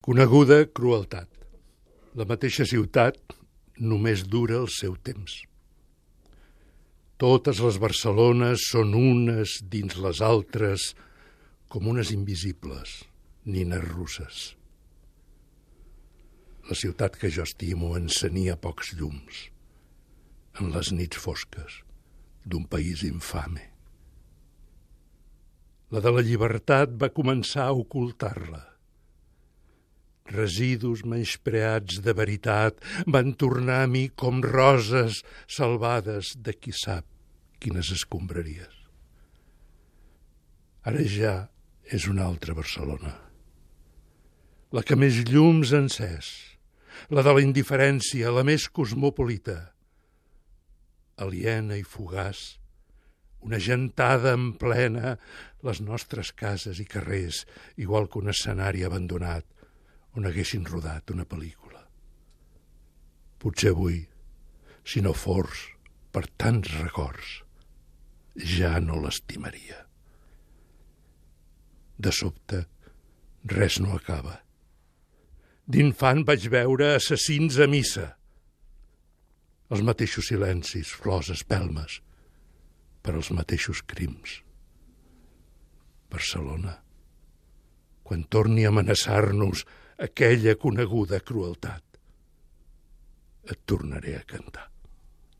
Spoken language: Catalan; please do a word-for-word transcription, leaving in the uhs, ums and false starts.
Coneguda crueltat. La mateixa ciutat només dura el seu temps. Totes les Barcelones són unes dins les altres, com unes invisibles, nines russes. La ciutat que jo estimo encenia pocs llums, en les nits fosques d'un país infame. La de la llibertat va començar a ocultar-la. Residus menyspreats de veritat van tornar a mi com roses salvades de qui sap quines escombraries. Ara ja és una altra Barcelona. La que més llums ha encès, la de la indiferència, la més cosmopolita. Aliena i fugaç, una gentada en plena, les nostres cases i carrers, igual que un escenari abandonat, on haguessin rodat una pel·lícula. Potser avui, si no fos per tants records, ja no l'estimaria. De sobte, res no acaba. D'infant vaig veure assassins a missa. Els mateixos silencis, flors, espelmes, per als mateixos crims. Barcelona, quan torni a amenaçar-nos aquella coneguda crueltat, et tornaré a cantar.